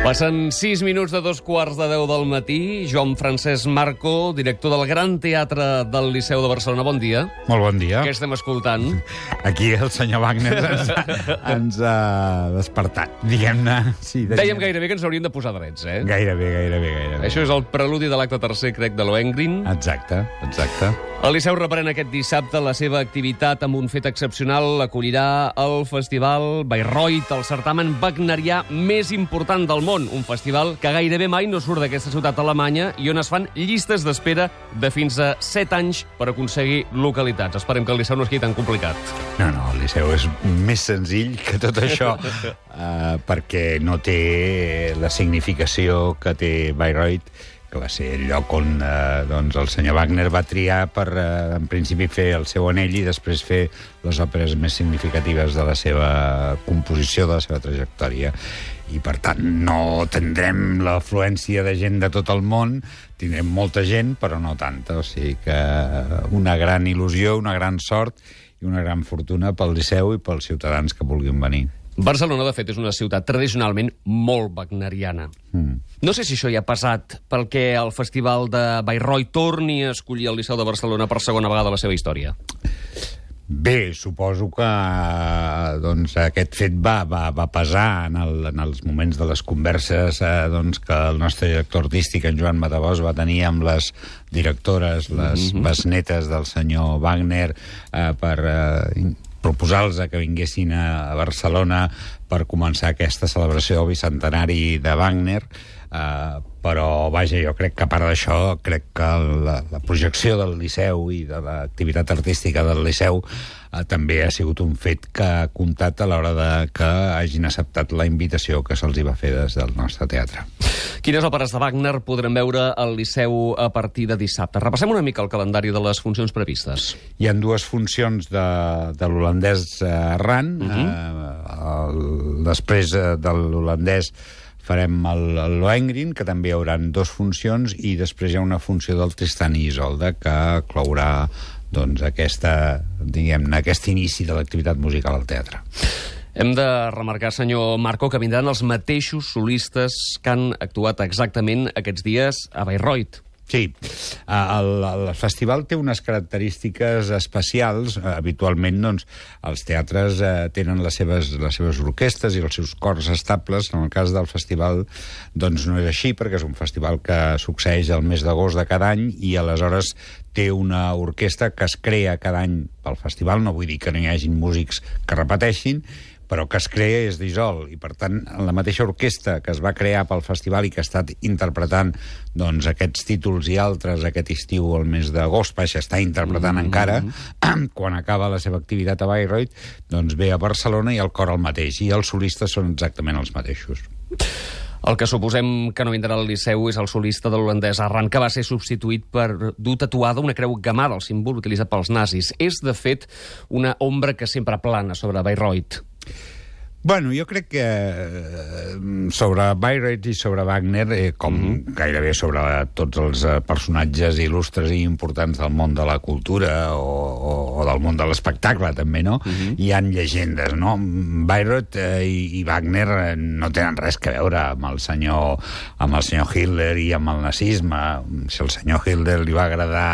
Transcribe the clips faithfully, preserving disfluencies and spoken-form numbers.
Passen sis minuts de dos quarts de deu del matí. Joan Francesc Marco, director del Gran Teatre del Liceu de Barcelona. Bon dia. Molt bon dia. Què estem escoltant? Aquí el senyor Wagner ens, ens ha despertat, diguem-ne. Sí, Dèiem gairebé que ens hauríem de posar drets, eh? Gairebé, gairebé, gairebé. Això és el preludi de l'acte tercer, crec, de Lohengrin. Exacte, exacte. El Liceu reprèn aquest dissabte la seva activitat amb un fet excepcional. Acollirà el Festival Bayreuth, el certamen wagnerià més important del món. Un festival que gairebé mai no surt d'aquesta ciutat alemanya i on es fan llistes d'espera de fins a set anys per aconseguir localitats. Esperem que el Liceu no es quedi tan complicat. No, no, el Liceu és més senzill que tot això, uh, perquè no té la significació que té Bayreuth, que va ser el lloc on eh, doncs el senyor Wagner va triar per, eh, en principi, fer el seu anell i després fer les òperes més significatives de la seva composició, de la seva trajectòria. I, per tant, no tindrem l'afluència de gent de tot el món, tindrem molta gent, però no tanta. O sigui que una gran il·lusió, una gran sort i una gran fortuna pel Liceu i pels ciutadans que vulguin venir. Barcelona, de fet, és una ciutat tradicionalment molt wagneriana. Mm. No sé si això ja ha passat pel que el Festival de Bayreuth torni a escollir el Liceu de Barcelona per segona vegada a la seva història. Bé, suposo que doncs, aquest fet va, va, va pesar en, el, en els moments de les converses eh, doncs, que el nostre director artístic, en Joan Matabós, va tenir amb les directores, les mm-hmm. besnetes del senyor Wagner, eh, per eh, proposar-los que vinguessin a Barcelona per començar aquesta celebració del bicentenari de Wagner. Uh, però, vaja, jo crec que a part d'això, crec que la, la projecció del Liceu i de l'activitat artística del Liceu uh, també ha sigut un fet que ha comptat a l'hora de que hagin acceptat la invitació que se'ls va fer des del nostre teatre. Quines òperes de Wagner podrem veure al Liceu a partir de dissabte? Repassem una mica el calendari de les funcions previstes. Hi ha dues funcions de, de l'holandès errant. Uh-huh. uh, el, després uh, de l'holandès farem el, el Lohengrin, que també hi haurà dues funcions, i després hi ha una funció del Tristan i Isolde, que clourà doncs, aquesta, diguem-ne, aquest inici de l'activitat musical al teatre. Hem de remarcar, senyor Marco, que vindran els mateixos solistes que han actuat exactament aquests dies a Bayreuth. Sí, el, el festival té unes característiques especials. Habitualment, doncs, els teatres eh, tenen les seves, les seves orquestes i els seus cors estables. En el cas del festival, doncs, no és així, perquè és un festival que succeeix el mes d'agost de cada any i, aleshores, té una orquestra que es crea cada any pel festival. No vull dir que no hi hagin músics que repeteixin, però que es crea i es dissol. I, per tant, la mateixa orquestra que es va crear pel festival i que ha estat interpretant doncs, aquests títols i altres aquest estiu al mes d'agost, vaja, està interpretant mm-hmm. encara, quan acaba la seva activitat a Bayreuth, doncs ve a Barcelona i el cor el mateix, i els solistes són exactament els mateixos. El que suposem que no vindrà al Liceu és el solista de l'holandès Arran, que va ser substituït per dur tatuada una creu gamada, el símbol utilitzat pels nazis. És, de fet, una ombra que sempre plana sobre Bayreuth. Bueno, jo crec que eh, sobre Bayreuth i sobre Wagner, eh, com mm-hmm. gairebé sobre tots els eh, personatges il·lustres i importants del món de la cultura o, o, o del món de l'espectacle, també, no? Mm-hmm. Hi han llegendes, no? Bayreuth eh, i, i Wagner eh, no tenen res que veure amb el senyor, amb el senyor Hitler i amb el nazisme. Si el senyor Hitler li va agradar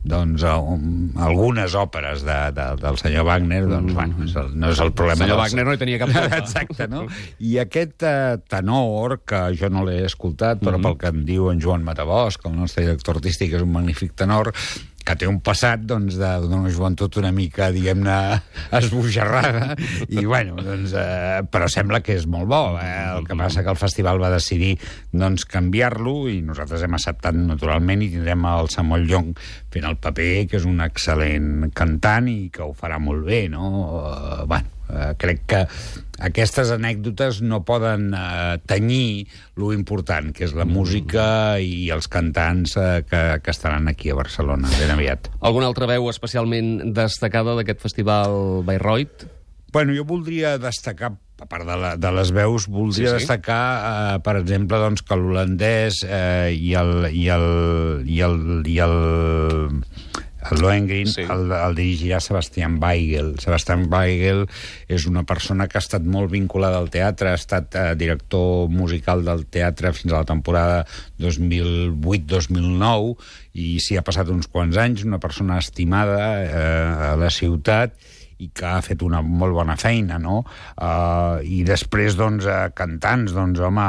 doncs um, algunes òperes de, de, del senyor Wagner, doncs, mm. bueno, és el, no és el problema. El senyor dels... Wagner no hi tenia cap culpa. Exacte, no? I aquest uh, tenor, que jo no l'he escoltat, però mm-hmm. pel que em diu en Joan Matabós, que el nostre director artístic és un magnífic tenor, que té un passat, doncs, d'una joventut una mica, diguem-ne, esbojarrada, i, bueno, doncs, eh, però sembla que és molt bo. Eh? El que passa que el festival va decidir, doncs, canviar-lo, i nosaltres hem acceptat naturalment, i tindrem el Samuel Young fent el paper, que és un excel·lent cantant i que ho farà molt bé, no? Uh, bueno, uh, crec que aquestes anècdotes no poden uh, tenyir lo important, que és la música i els cantants uh, que, que estaran aquí a Barcelona ben aviat. Alguna altra veu especialment destacada d'aquest festival Bayreuth? Bueno, jo voldria destacar, a part de, la, de les veus, voldria sí, sí. destacar, eh, per exemple, doncs, que l'holandès eh, i el... I el, i el, i el el Lohengrin, Sí. el, el dirigirà Sebastian Weigel. Sebastian Weigel és una persona que ha estat molt vinculada al teatre, ha estat eh, director musical del teatre fins a la temporada dos mil vuit dos mil nou, i s'hi ha passat uns quants anys, una persona estimada eh, a la ciutat, i que ha fet una molt bona feina, no? Uh, I després, doncs, uh, cantants, doncs, home,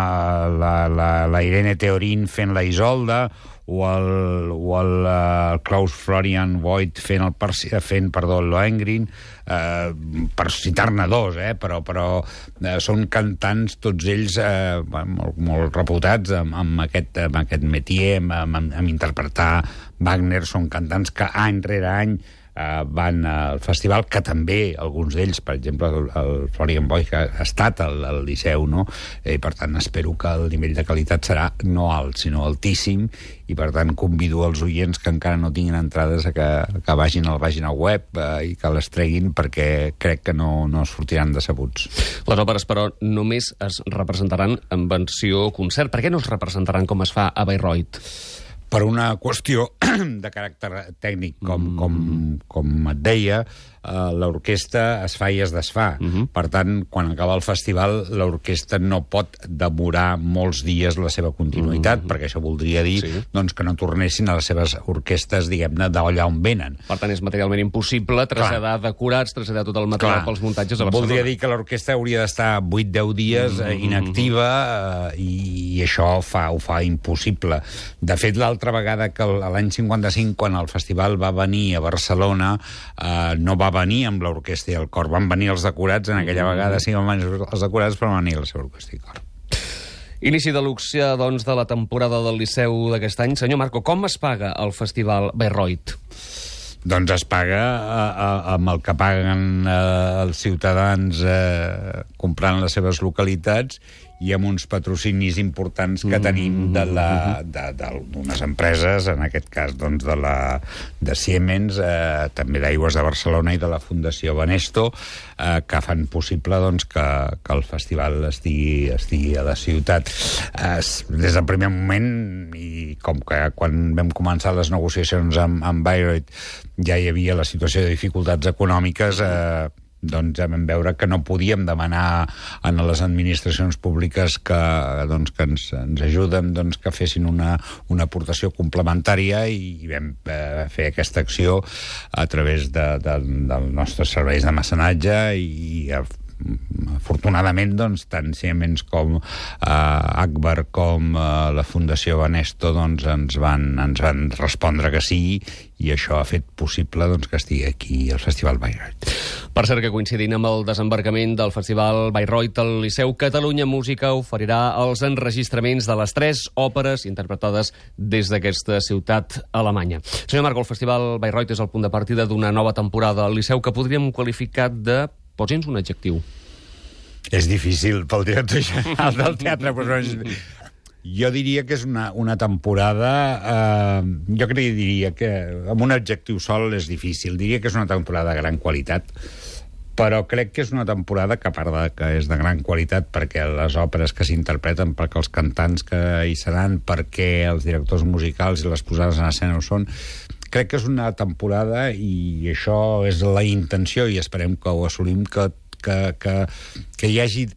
la, la, la Irene Theorin fent la Isolda, o el, o el uh, Klaus Florian Voigt fent, el Persi, fent perdó, el Lohengrin, uh, per citar-ne dos, eh? però, però uh, són cantants, tots ells uh, molt, molt reputats amb, amb, aquest, amb aquest métier, amb, amb, amb interpretar Wagner. Són cantants que any rere any Uh, van al festival, que també alguns d'ells, per exemple el, el Florian Voigt, que ha estat al, al Liceu, no? I per tant espero que el nivell de qualitat serà no alt, sinó altíssim, i per tant convido els oients que encara no tinguin entrades a que, que vagin a la pàgina web uh, i que les treguin, perquè crec que no, no sortiran decebuts. Les òperes, però, només es representaran en versió concert. Per què no es representaran com es fa a Bayreuth? Per una qüestió de caràcter tècnic, com, com, com et deia, uh, l'orquestra es fa i es desfà. Uh -huh. Per tant, quan acaba el festival, l'orquestra no pot demorar molts dies la seva continuïtat, uh -huh. perquè això voldria dir sí. doncs, que no tornessin a les seves orquestres, diguem-ne, d'allà on venen. Per tant, és materialment impossible traslladar Clar. decorats, traslladar tot el material Clar. pels muntatges a Barcelona. Voldria dir que l'orquestra hauria d'estar vuit deu dies uh -huh. inactiva, uh, i, i això fa, ho fa impossible. De fet, l'altra vegada que l'any cinquanta-cinc, quan el festival va venir a Barcelona, eh, no va venir amb l'orquestra i el cor, van venir els decorats, en aquella vegada sí van venir els decorats, però van venir la seva orquestra i cor. Inici de luxe, doncs, de la temporada del Liceu d'aquest any. Senyor Marco, com es paga el festival Bayreuth? Doncs es paga eh, eh, amb el que paguen eh, els ciutadans eh, comprant les seves localitats, i amb uns patrocinis importants que tenim de la, de, de, d'unes empreses, en aquest cas doncs, de, la, de Siemens, eh, també d'Aigües de Barcelona i de la Fundació Banesto, eh, que fan possible doncs, que, que el festival estigui, estigui a la ciutat. Eh, des del primer moment, i com que quan vam començar les negociacions amb, amb Bayreuth ja hi havia la situació de dificultats econòmiques, eh, doncs ja vam veure que no podíem demanar a les administracions públiques que, doncs, que ens, ens ajuden, doncs, que fessin una, una aportació complementària, i, i vam eh, fer aquesta acció a través de, de, dels nostres serveis de mecenatge, i, i afortunadament, doncs, tant Siemens com eh, Agbar com eh, la Fundació Banesto doncs, ens, van, ens van respondre que sí, i això ha fet possible doncs, que estigui aquí al Festival Bayreuth. Per cert, que coincidint amb el desembarcament del Festival Bayreuth, el Liceu Catalunya Música oferirà els enregistraments de les tres òperes interpretades des d'aquesta ciutat alemanya. Senyor Marco, el Festival Bayreuth és el punt de partida d'una nova temporada al Liceu que podríem qualificar de... Posi'ns un adjectiu. És difícil pel director general del teatre, però és... Jo diria que és una, una temporada... Eh, jo crec que diria que amb un adjectiu sol és difícil. Diria que és una temporada de gran qualitat, però crec que és una temporada que, a part de que és de gran qualitat perquè les òperes que s'interpreten, perquè els cantants que hi seran, perquè els directors musicals i les posades en escena ho són, crec que és una temporada, i això és la intenció, i esperem que ho assolim, que, que, que, que hi hagi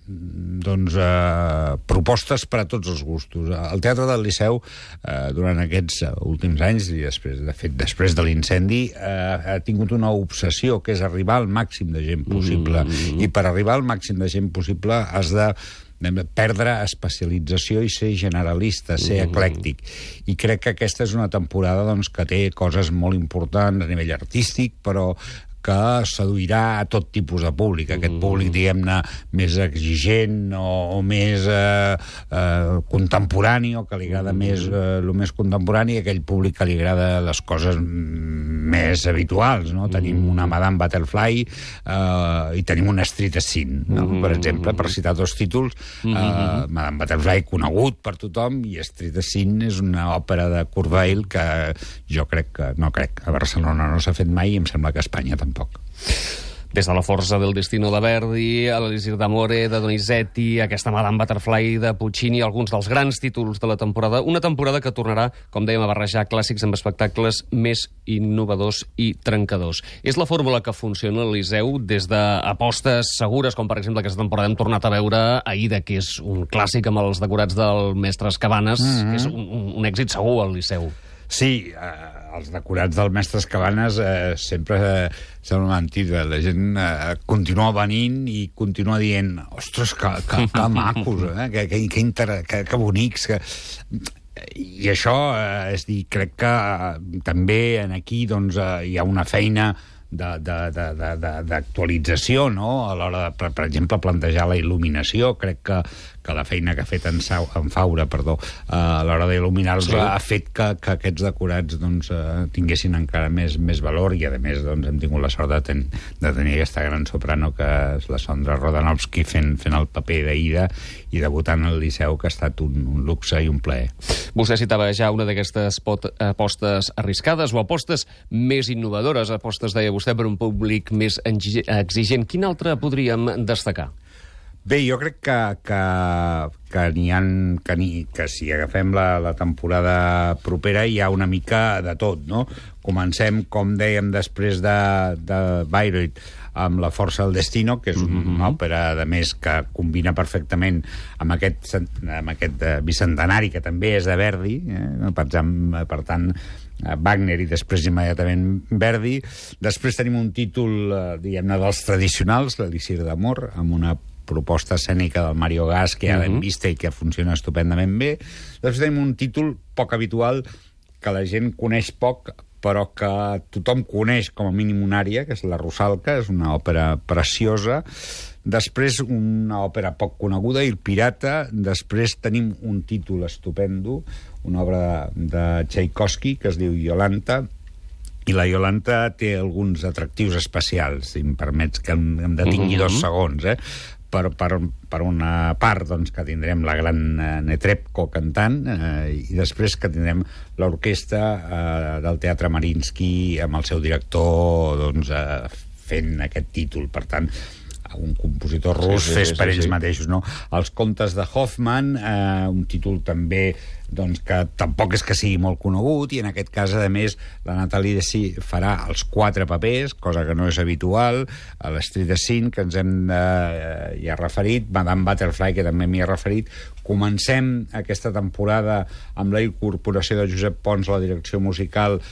doncs, eh, propostes per a tots els gustos. El Teatre del Liceu, eh, durant aquests últims anys, i després, de fet, després de l'incendi, eh, ha tingut una obsessió, que és arribar al màxim de gent possible. Mm-hmm. I per arribar al màxim de gent possible has de perdre especialització i ser generalista, ser eclèctic. I crec que aquesta és una temporada doncs, que té coses molt importants a nivell artístic, però que seduirà a tot tipus de públic. Aquest públic, diguem-ne, més exigent o, o més eh, eh, contemporani, o que li agrada més eh, el més contemporani, aquell públic que li agrada les coses més habituals, no? Tenim una Madame Butterfly eh, i tenim una Street Scene, no? Per exemple, per citar dos títols. Eh, Madame Butterfly, conegut per tothom, i Street Scene és una òpera de Kurt Weill que jo crec que, no crec, a Barcelona no s'ha fet mai, i em sembla que a Espanya tampoc. Des de La forza del destino de Verdi, l'Elisir d'Amore de Donizetti, aquesta Madame Butterfly de Puccini, alguns dels grans títols de la temporada. Una temporada que tornarà, com dèiem, a barrejar clàssics amb espectacles més innovadors i trencadors. És la fórmula que funciona al Liceu des d'apostes segures, com per exemple aquesta temporada hem tornat a veure Aida, que és un clàssic amb els decorats del mestre Cabanes, mm-hmm. que és un, un, un èxit segur al Liceu. Sí, eh, els decorats del mestre Cabanes eh, sempre eh, s'han mentit. La gent eh, continua venint i continua dient ostres, que, que, que macos, eh? que, que, que, inter... que, que bonics, que... I això, eh, és dir, crec que eh, també en aquí doncs, eh, hi ha una feina d'actualització, no? A l'hora de, per, per exemple, plantejar la il·luminació. Crec que, que la feina que ha fet en, Sau, en Faura, perdó, a l'hora d'il·luminar-los sí. ha fet que, que aquests decorats doncs, tinguessin encara més, més valor i, a més, doncs, hem tingut la sort de, ten, de tenir aquesta gran soprano que és la Sondra Rodanovsky fent, fent el paper d'Aida i debutant al Liceu, que ha estat un, un luxe i un plaer. Vostè citava ja una d'aquestes apostes arriscades o apostes més innovadores, apostes, deia vostè, per un públic més exigent. Quin altre podríem destacar? Bé, jo crec que, que, que n'hi ha... Que, ni, que si agafem la, la temporada propera hi ha una mica de tot, no? Comencem, com dèiem, després de, de Bayreuth, amb La força del destino, que és una mm-hmm. òpera, de més, que combina perfectament amb aquest, amb aquest bicentenari, que també és de Verdi, eh? per, per tant, Wagner i després immediatament Verdi. Després tenim un títol, diguem-ne, dels tradicionals, l'Elisir d'Amor, amb una proposta escènica del Mario Gas, que ja l'hem uh-huh. vista i que funciona estupendament bé. Després tenim un títol poc habitual, que la gent coneix poc, però que tothom coneix com a mínim una ària, que és la Rusalka, és una òpera preciosa. Després una òpera poc coneguda, Il Pirata. Després tenim un títol estupendo, una obra de, de Tchaikovsky, que es diu Iolanta, i la Iolanta té alguns atractius especials, si em permets que em, em detingui uh-huh. dos segons, eh? Per, per, per una part, doncs, que tindrem la gran eh, Netrebko cantant eh, i després que tindrem l'orquestra eh, del Teatre Mariinsky amb el seu director doncs, eh, fent aquest títol. Per tant, un compositor rus sí, sí, fes per sí, ells sí. mateixos, no? Els contes de Hoffmann, eh, un títol també doncs, que tampoc és que sigui molt conegut, i en aquest cas, a més, la Nathalie Dessy farà els quatre papers, cosa que no és habitual, a l'Street de Scene, que ens hem de, eh, ja referit, Madame Butterfly, que també m'hi ha referit. Comencem aquesta temporada amb la incorporació de Josep Pons a la direcció musical. Eh,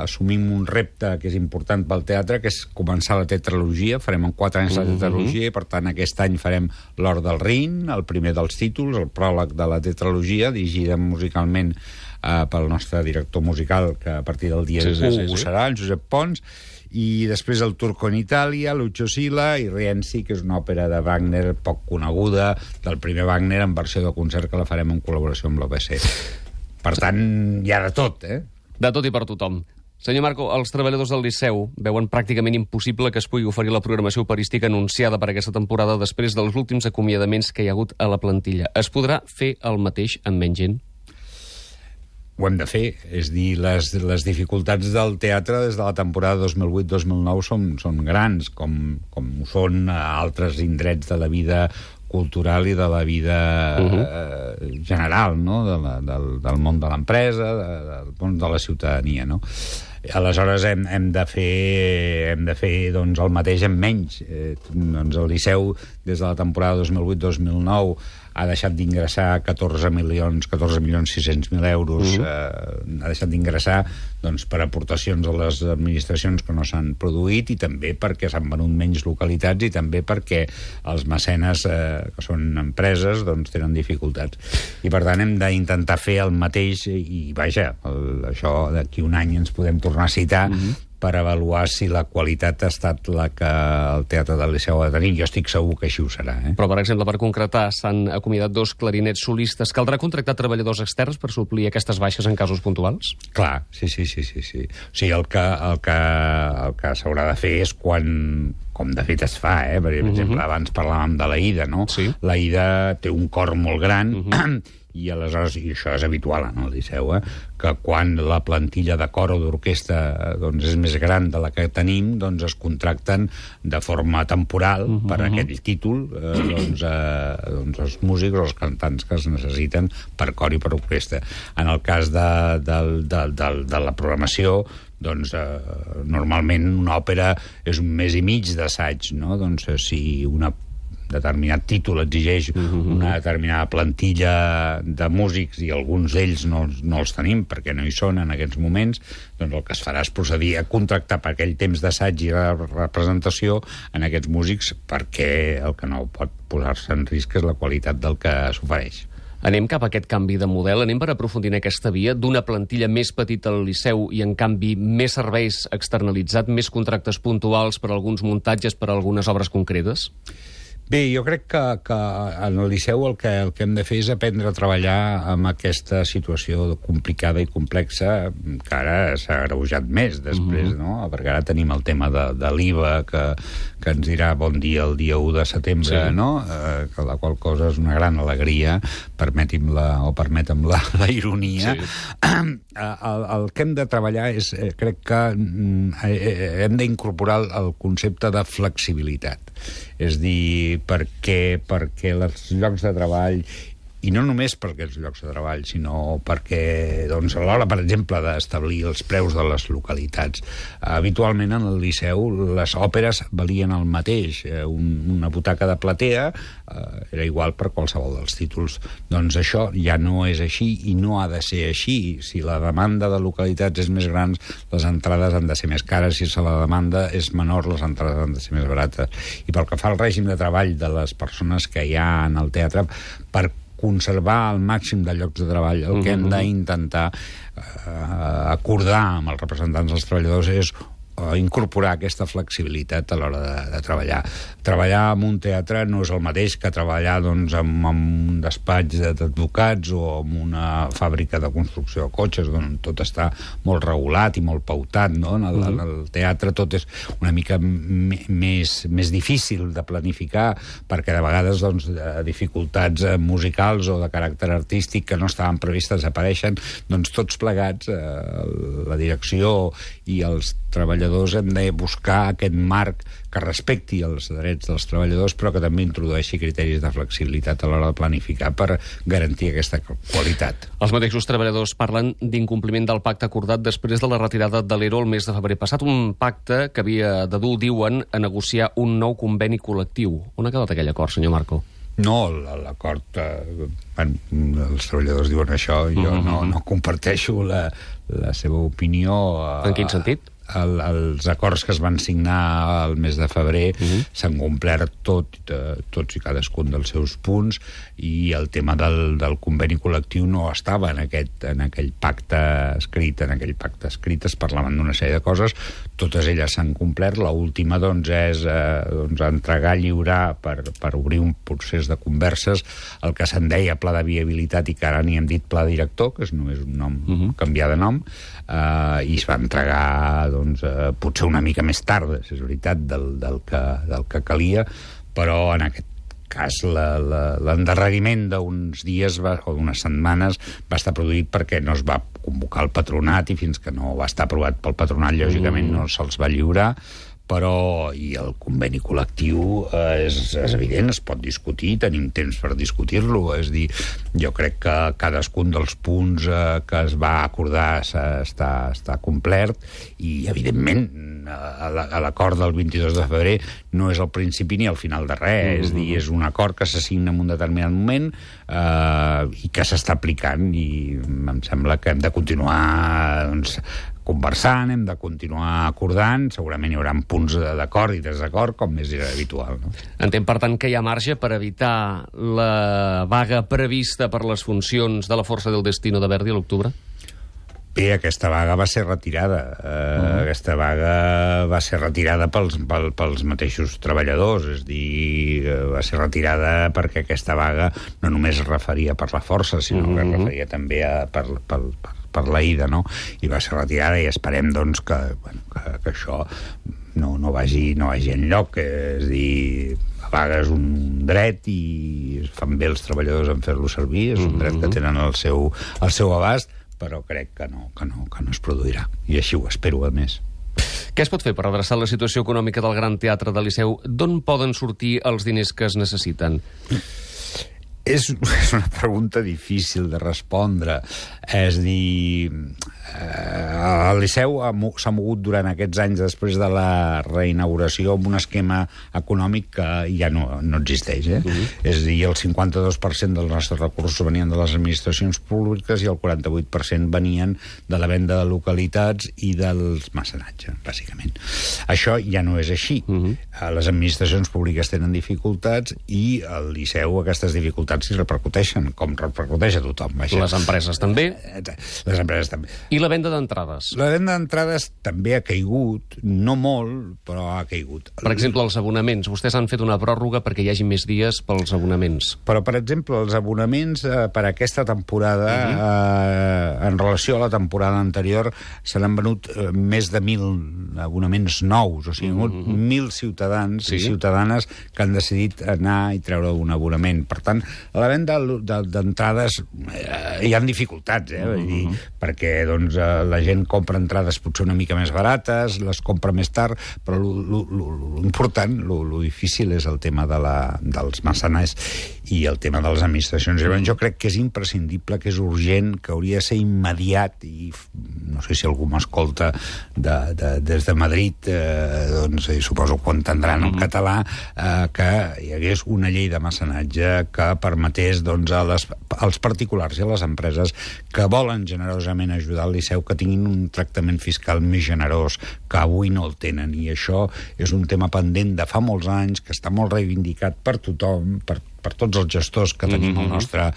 assumim un repte que és important pel teatre, que és començar la tetralogia. Farem en quatre anys la tetralogia, mm-hmm. i per tant aquest any farem l'Or del Rin, el primer dels títols, el pròleg de la tetralogia, dirigida musicalment eh, pel nostre director musical, que a partir del dia sí, sí, sí, sí. ho serà, el Josep Pons. I després el Turco en Itàlia, Lucio Silla i Rienzi, que és una òpera de Wagner poc coneguda, del primer Wagner en versió de concert, que la farem en col·laboració amb l'O B C. Per tant, hi ha de tot, eh? De tot i per tothom. Senyor Marco, els treballadors del Liceu veuen pràcticament impossible que es pugui oferir la programació operística anunciada per aquesta temporada després dels últims acomiadaments que hi ha hagut a la plantilla. Es podrà fer el mateix amb menys gent? Ho hem de fer, és dir, les, les dificultats del teatre des de la temporada dos mil vuit dos mil nou són, són grans, com, com ho són altres indrets de la vida cultural i de la vida uh-huh. eh, general, no? de la, del, del món de l'empresa, de, del món de la ciutadania, no? Aleshores hem, hem de fer, hem de fer doncs, el mateix amb menys. Eh, doncs el Liceu, des de la temporada dos mil vuit dos mil nou, ha deixat d'ingressar catorze milions, catorze milions sis-cents mil euros, mm. eh, ha deixat d'ingressar doncs, per aportacions a les administracions que no s'han produït, i també perquè s'han venut menys localitats, i també perquè els mecenes, eh, que són empreses, doncs, tenen dificultats. I per tant hem d'intentar fer el mateix, i vaja, el, això d'aquí un any ens podem tornar a citar, mm-hmm. per avaluar si la qualitat ha estat la que el Teatre del Liceu ha de tenir. Jo estic segur que així ho serà. Eh? Però, per exemple, per concretar, s'han acomiadat dos clarinets solistes. Caldrà contractar treballadors externs per suplir aquestes baixes en casos puntuals? Clar, sí, sí, sí. sí, sí. O sigui, el que, el que, el que s'haurà de fer és quan, com de fet es fa, eh? Per exemple, uh-huh. abans parlàvem de l'Aida, no? Sí. L'Aida té un cor molt gran, uh-huh. i aleshores, i això és habitual en el Liceu, eh? Que quan la plantilla de cor o d'orquestra doncs, és més gran de la que tenim, doncs es contracten de forma temporal uh-huh. per aquell títol eh, doncs, eh, doncs els músics o els cantants que es necessiten per cor i per orquestra. En el cas de, de, de, de, de la programació, doncs eh, normalment una òpera és un mes i mig d'assaig, no? Doncs si una determinat títol exigeix uh-huh. una determinada plantilla de músics i alguns d'ells no, no els tenim perquè no hi són en aquests moments, doncs el que es farà és procedir a contractar per aquell temps d'assaig i representació en aquests músics perquè el que no pot posar-se en risc és la qualitat del que s'ofereix. Anem cap a aquest canvi de model, anem per aprofundir en aquesta via d'una plantilla més petita al Liceu i, en canvi, més serveis externalitzats, més contractes puntuals per a alguns muntatges, per a algunes obres concretes? Bé, jo crec que, que en el Liceu el que, el que hem de fer és aprendre a treballar amb aquesta situació complicada i complexa que ara s'ha agreujat més després, mm-hmm. no? Perquè ara tenim el tema de, de l'I V A que, que ens dirà bon dia el dia u de setembre, sí. no? Eh, que la qual cosa és una gran alegria, permeti'm la, o permetem la, la ironia. Sí. El, el que hem de treballar és, crec que eh, hem d'incorporar el concepte de flexibilitat. És dir, perquè, perquè els llocs de treball, i no només perquè els llocs de treball, sinó perquè, doncs, a l'hora, per exemple, d'establir els preus de les localitats. Habitualment, en el Liceu, les òperes valien el mateix. Un, una butaca de platea eh, era igual per qualsevol dels títols. Doncs això ja no és així i no ha de ser així. Si la demanda de localitats és més gran, les entrades han de ser més cares. Si la demanda és menor, les entrades han de ser més barates. I pel que fa al règim de treball de les persones que hi ha en el teatre, per conservar el màxim de llocs de treball, el que hem d'intentar eh, acordar amb els representants dels treballadors és incorporar aquesta flexibilitat a l'hora de, de treballar. Treballar en un teatre no és el mateix que treballar doncs, en, en un despatx d'advocats o en una fàbrica de construcció de cotxes, on tot està molt regulat i molt pautat, no? En el, en el teatre tot és una mica més, més difícil de planificar, perquè de vegades doncs, dificultats musicals o de caràcter artístic que no estaven previstes apareixen, doncs tots plegats, eh, la direcció i els treballadors hem de buscar aquest marc que respecti els drets dels treballadors, però que també introdueixi criteris de flexibilitat a l'hora de planificar per garantir aquesta qualitat. Els mateixos treballadors parlen d'incompliment del pacte acordat després de la retirada de l'E R O el mes de febrer passat, un pacte que havia de dur, diuen, a negociar un nou conveni col·lectiu. On ha quedat aquell acord, senyor Marco? No, l'acord... Eh, bueno, els treballadors diuen això, jo mm-hmm. no, no comparteixo la, la seva opinió. En quin sentit? El, els acords que es van signar el mes de febrer uh-huh. s'han complert tot, eh, tots i cadascun dels seus punts, i el tema del, del conveni col·lectiu no estava en, aquest, en aquell pacte escrit. En aquell pacte escrit es parlaven d'una sèrie de coses, totes elles s'han complert. L'última doncs, és eh, doncs, entregar, lliurar per, per obrir un procés de converses el que se'n deia pla de viabilitat i que ara n'hi hem dit pla director, que és només un nom, uh-huh. canviar de nom, eh, i es va entregar doncs, eh, potser una mica més tard, és veritat, del, del, que, del que calia, però en aquest cas l'endarreriment d'uns dies va, o d'unes setmanes va estar produït perquè no es va convocar el patronat, i fins que no va estar aprovat pel patronat, lògicament no se'ls va lliurar. Però, i el conveni col·lectiu eh, és, és evident, es pot discutir, tenim temps per discutir-lo, és dir, jo crec que cadascun dels punts eh, que es va acordar està, està complert, i evidentment a l'acord del vint-i-dos de febrer no és el principi ni el final de res, mm-hmm. és dir, és un acord que s'assigna en un determinat moment eh, i que s'està aplicant, i em sembla que hem de continuar doncs, conversant, hem de continuar acordant, segurament hi haurà punts d'acord i desacord, com és habitual. No? Entenc, per tant, que hi ha marge per evitar la vaga prevista per les funcions de la Força del Destino de Verdi a l'octubre? Bé, aquesta vaga va ser retirada. Uh, uh-huh. Aquesta vaga va ser retirada pels, pel, pels mateixos treballadors, és dir, va ser retirada perquè aquesta vaga no només es referia per la Força, sinó uh-huh. que es referia també a, per, per, per, per l'Aida, no? I va ser retirada, i esperem doncs, que, bueno, que, que això no, no, vagi, no vagi enlloc. És a dir, la vaga és un dret i fan bé els treballadors en fer-lo servir, és un dret que tenen al seu, al seu abast, però crec que no, que, no, que no es produirà. I així ho espero, a més. Què es pot fer per redreçar la situació econòmica del Gran Teatre del Liceu? D'on poden sortir els diners que es necessiten? És, és una pregunta difícil de respondre. És a dir, eh, el Liceu s'ha mogut durant aquests anys després de la reinauguració amb un esquema econòmic que ja no, no existeix. Eh? Uh-huh. És a dir, el cinquanta-dos per cent dels nostres recursos venien de les administracions públiques i el quaranta-vuit per cent venien de la venda de localitats i dels mecenatges, bàsicament. Això ja no és així. Uh-huh. Les administracions públiques tenen dificultats i al Liceu aquestes dificultats s'hi repercuteixen, com repercuteix a tothom. Vaja. Les empreses també? Les empreses també. I la venda d'entrades? La venda d'entrades també ha caigut, no molt, però ha caigut. Per exemple, els abonaments. Vostès han fet una pròrroga perquè hi hagi més dies pels abonaments. Però, per exemple, els abonaments eh, per a aquesta temporada, uh-huh. eh, en relació a la temporada anterior, se n'han venut eh, més de mil abonaments nous, o sigui, uh-huh. mil ciutadans sí. i ciutadanes que han decidit anar i treure un abonament. Per tant, a la venda d'entrades eh, hi ha dificultats, eh? Vull dir, perquè doncs, eh, la gent compra entrades potser una mica més barates, les compra més tard, però l'important, lo difícil és el tema de la, dels mecenats i el tema de les administracions. Jo crec que és imprescindible, que és urgent, que hauria de ser immediat, i no sé si algú m'escolta de, de, des de Madrid, eh, doncs eh, suposo que ho entendran en català, eh, que hi hagués una llei de mecenatge que permetés doncs, a les, als particulars i a les empreses que volen generosament ajudar al Liceu que tinguin un tractament fiscal més generós, que avui no el tenen. I això és un tema pendent de fa molts anys, que està molt reivindicat per tothom, per per tots els gestors que tenim mm-hmm. el nostre,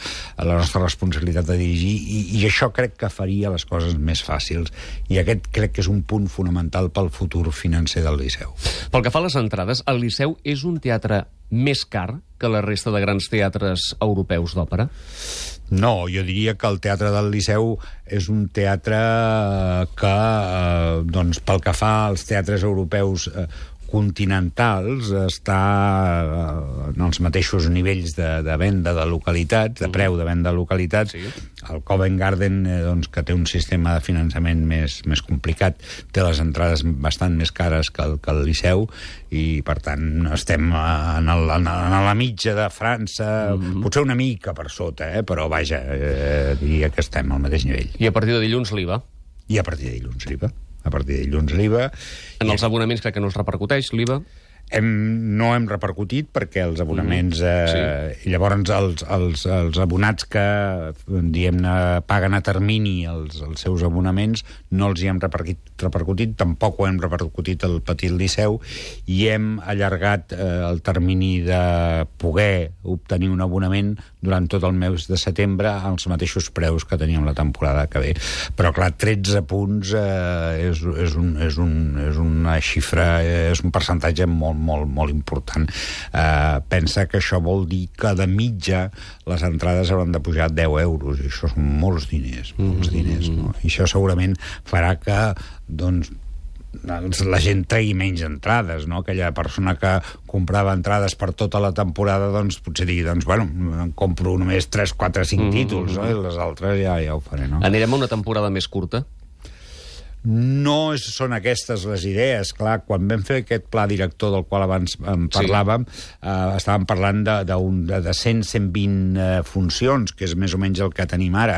la nostra responsabilitat de dirigir, i, i això crec que faria les coses més fàcils, i aquest crec que és un punt fonamental pel futur financer del Liceu. Pel que fa a les entrades, el Liceu és un teatre més car que la resta de grans teatres europeus d'òpera? No, jo diria que el Teatre del Liceu és un teatre que, eh, doncs, pel que fa als teatres europeus eh, continentals, està en els mateixos nivells de, de venda de localitats, de preu de venda de localitats. Sí. El Covent Garden, eh, doncs, que té un sistema de finançament més, més complicat, té les entrades bastant més cares que el, que el Liceu, i per tant estem en, el, en, en la mitja de França, mm-hmm. potser una mica per sota, eh, però vaja, eh, diria que estem al mateix nivell. I a partir de dilluns l'I V A? I a partir de dilluns l'I V A. A partir de dilluns l'I V A. En els abonaments crec que no es repercuteix l'I V A? Hem, no hem repercutit perquè els abonaments... Eh, sí. Llavors, els, els, els abonats que, diguem-ne, paguen a termini els, els seus abonaments, no els hi hem repercutit, repercutit, tampoc ho hem repercutit al Petit Liceu, i hem allargat eh, el termini de poder obtenir un abonament durant tot el mes de setembre als mateixos preus que teníem la temporada que ve. Però, clar, tretze punts eh, és, és, un, és, un, és una xifra, és un percentatge molt, molt, molt important. Eh, pensa que això vol dir que de mitja les entrades hauran de pujar deu euros, i això són molts diners, molts diners, no? I això segurament farà que, doncs, la gent tregui menys entrades, no? Aquella persona que comprava entrades per tota la temporada, doncs potser digui, doncs, bueno, em compro només tres, quatre, cinc títols, no? I les altres ja, ja ho faré, no? Anirem a una temporada més curta? No són aquestes les idees. Clar, quan vam fer aquest pla director del qual abans en parlàvem, sí. eh, estàvem parlant de, de, un, de cent a cent vint eh, funcions, que és més o menys el que tenim ara.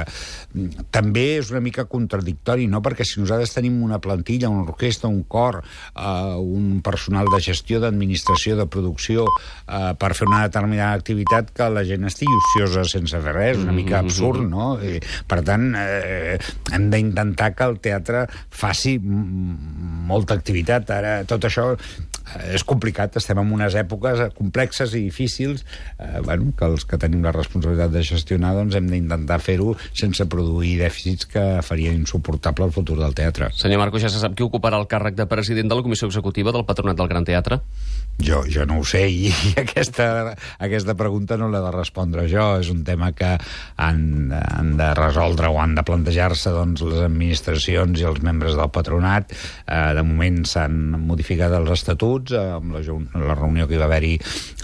També és una mica contradictori, no? Perquè si nosaltres tenim una plantilla, una orquestra, un cor, eh, un personal de gestió, d'administració, de producció, eh, per fer una determinada activitat, que la gent estigui ociosa sense fer res, una mica absurd, no? I, per tant, eh, hem d'intentar que el teatre faci molta activitat. Ara tot això és complicat, estem en unes èpoques complexes i difícils, eh, bueno, que els que tenim la responsabilitat de gestionar, doncs hem d'intentar fer-ho sense produir dèficits que farien insuportable el futur del teatre. Senyor Marco, ja se sap qui ocuparà el càrrec de president de la Comissió Executiva del Patronat del Gran Teatre? Jo, jo no ho sé, i aquesta, aquesta pregunta no l'he de respondre jo. És un tema que han, han de resoldre o han de plantejar-se doncs, les administracions i els membres del patronat. Eh, de moment s'han modificat els estatuts eh, amb la, la reunió que hi va haver-hi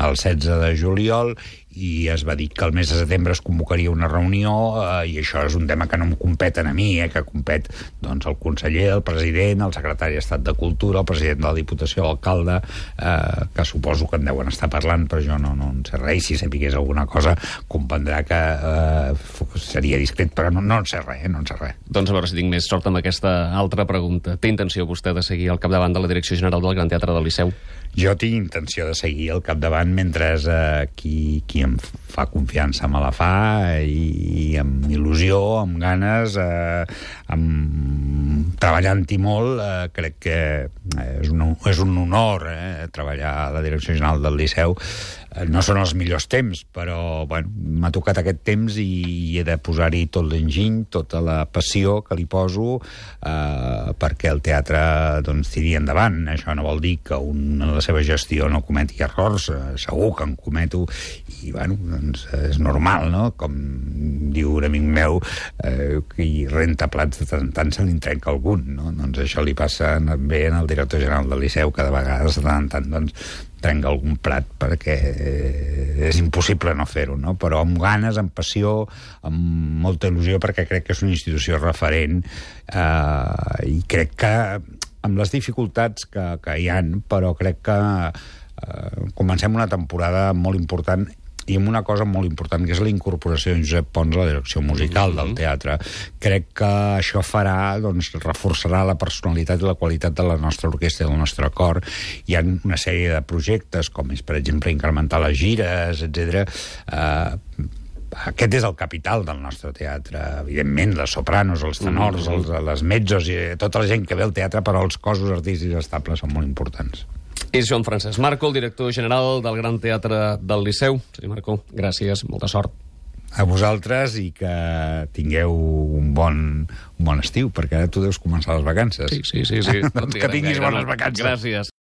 el setze de juliol, i es va dir que el mes de setembre es convocaria una reunió, eh, i això és un tema que no em competen a mi, eh, que compet doncs, el conseller, el president, el secretari d'Estat de Cultura, el president de la Diputació, l'alcalde, eh, que suposo que en deuen estar parlant, però jo no, no en sé res, i si sapigués alguna cosa comprendrà que eh, seria discret, però no, no en sé res, eh, no en sé res. Doncs a veure si tinc més sort amb aquesta altra pregunta. Té intenció vostè de seguir al capdavant de la Direcció General del Gran Teatre del Liceu? Jo tinc intenció de seguir al capdavant mentre eh, qui, qui em fa confiança me la fa, i, i amb il·lusió, amb ganes, eh, amb treballant-hi molt. Eh, crec que és un, és un honor eh, treballar a la Direcció General del Liceu. Eh, no són els millors temps, però bueno, m'ha tocat aquest temps i, i he de posar-hi tot l'enginy, tota la passió que li poso eh, perquè el teatre doncs, tiri endavant. Això no vol dir que un, en la seva gestió no cometi errors, eh, segur que en cometo, i bueno, doncs és normal, no? Com diu un amic meu, eh, qui renta plats de tant en tant se li trenca algun, no? Doncs això li passa bé en el director general del Liceu, que de vegades de tant en tant doncs, trenca algun plat, perquè eh, és impossible no fer-ho, no? Però amb ganes, amb passió, amb molta il·lusió, perquè crec que és una institució referent, eh, i crec que amb les dificultats que, que hi ha, però crec que eh, comencem una temporada molt important, i amb una cosa molt important, que és la incorporació de Josep Pons a la direcció musical del teatre. Crec que això farà, doncs, reforçarà la personalitat i la qualitat de la nostra orquestra i del nostre cor. Hi ha una sèrie de projectes, com és, per exemple, incrementar les gires, etcètera. Eh, aquest és el capital del nostre teatre. Evidentment, les sopranos, els tenors, els, les mezzos, i tota la gent que ve al teatre, però els cossos artístics estables són molt importants. És Joan Francesc Marco, el director general del Gran Teatre del Liceu. Senyor Marco, gràcies, molta sort. A vosaltres, i que tingueu un bon, un bon estiu, perquè ara tu deus començar les vacances. Sí, sí, sí. sí. Doncs que tinguis bones vacances. Gràcies.